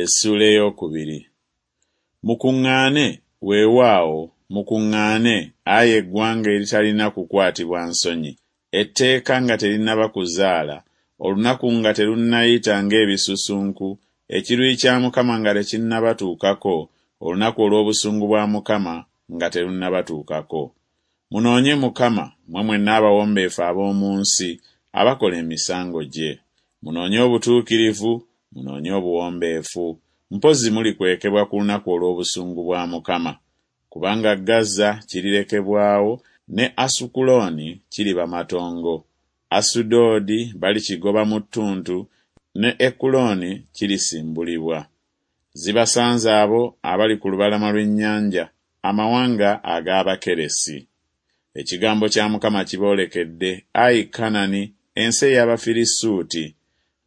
Essuula ey'okubiri. Mukuŋŋaane, weewaawo, mukuŋŋaane, ayi eggwanga eritalina kukwatibwa nsonyi, etteeka nga terinnaba kuzaala, olunaku nga terunnayita ng'ebisusunku, ekiruyi kya Mukama nga tekinnabatuukako, olunaku olw'obusungu bwa Mukama nga terunnabatuukako. Munoonye Mukama, mmwe mwenna abawombeefu ab'omu nsi, abakola emisango gye. Munoonye obutuukirivu, munoonye obuwombeefu, mpozzi mulikwekebwa ku lunaku olw'obusungu bwa Mukama. Kubanga Gaza kirirekebwawo, ne Asukulooni kiriba matongo. Asudoodi balikigoba mu ttuntu, ne Ekulooni kirisimbulibwa. Zibasanze abo abali ku lubalama lw'ennyanja, amawanga ag'Abakeresi. Ekigambo kya Mukama kiboolekedde, ayi Kanani, ensi ey'Abafirisuuti.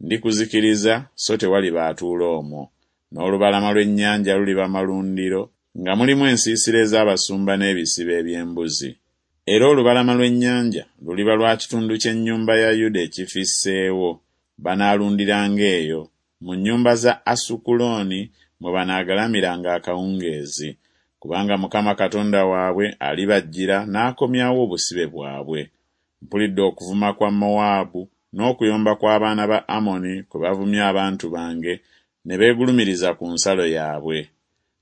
Ndikuzikiriza so tewaliba atuula omwo. N'olubalama lw'ennyanja luliba malundiro, nga mulimu ensiisira ez'abasumba n'ebisibo eby'embuzi. Era olubalama lw'ennyanja luliba lwa kitundu ky'ennyumba ya Yuda ekifisseewo, banaalundiranga eyo, mu nnyumba za Asukulooni mwe banaagalamiranga akawungeezi, kubanga Mukama Katonda waabwe alibajjira n'akomyawo obusibe bwabwe. Mpulidde okuvuma kwa Mowaabu n'okuyomba kw'abaana ba Amoni kwe bavumye abantu bange ne beegulumiriza ku nsalo yaabwe.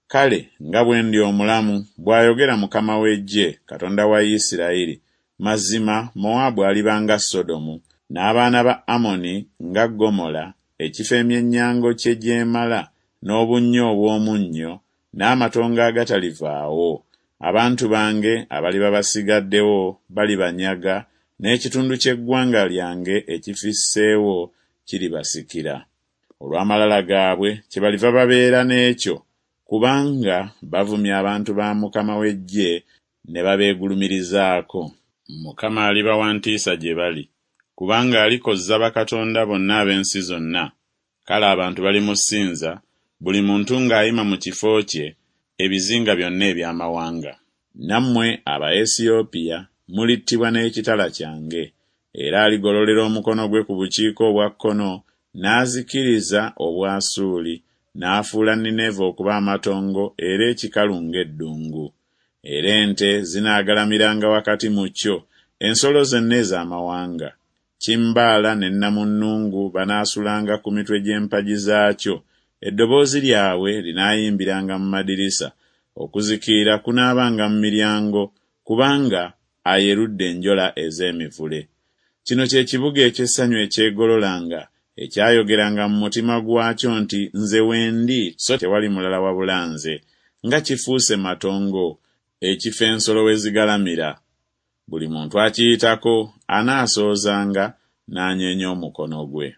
Kale nga bwe ndi omulamu, bw'ayogera Mukama w'eggye, Katonda wa Isirayiri, mazima Mowaabu aliba nga Sodomu, n'abaana ba Amoni nga Ggomola, ekifo emyennyango kye gyemala, n'obunnya obw'omunnyo, n'amatongo agatalivaawo. Abantu bange abaliba basigaddewo balibanyaga, n'ekitundu ky'eggwanga lyange ekifisseewo kiribasikira. Olw'amalala gaabwe kyebaliva babeera n'ekyo, kubanga bavumye abantu ba Mukama w'eggye ne babeegulumirizaako. Mukama aliba wa ntiisa gye bali, kubanga alikozza bakatonda bonna ab'ensi zonna, kale abantu balimusinza, buli muntu ng'ayima mu kifo kye, ebizinga byonna eby'amawanga. Nammwe Abaesiyopiya mulittibwa n'ekitala kyange. Era aligololera omukono gwe ku bukiika obwa kkono n'azikiriza Obwasuuli, n'afuula Nineeve okuba amatongo era ekikalu ng'eddungu. Era ente zinaagalamiranga wakati mu kyo, ensolo zonna ez'amawanga. Kimbaala ne nnamunnungu banaasulanga ku mitwe gy'empagi zaakyo, eddoboozi lyabwe linaayimbiranga mu madirisa, okuzikirira kunaabanga mu miryango, kubanga ayerudde enjola ez'emivule. Kino kye kibuga eky'essanyu ekyegololanga, ekyayogeranga mu mutima gwakyo nti Nze wendi, so tewali mulala wabula nze, nga kifuuse matongo, ekifo ensolo we zigalamira! Buli muntu akiyitako anaasoozanga n'anyeenya omukono gwe.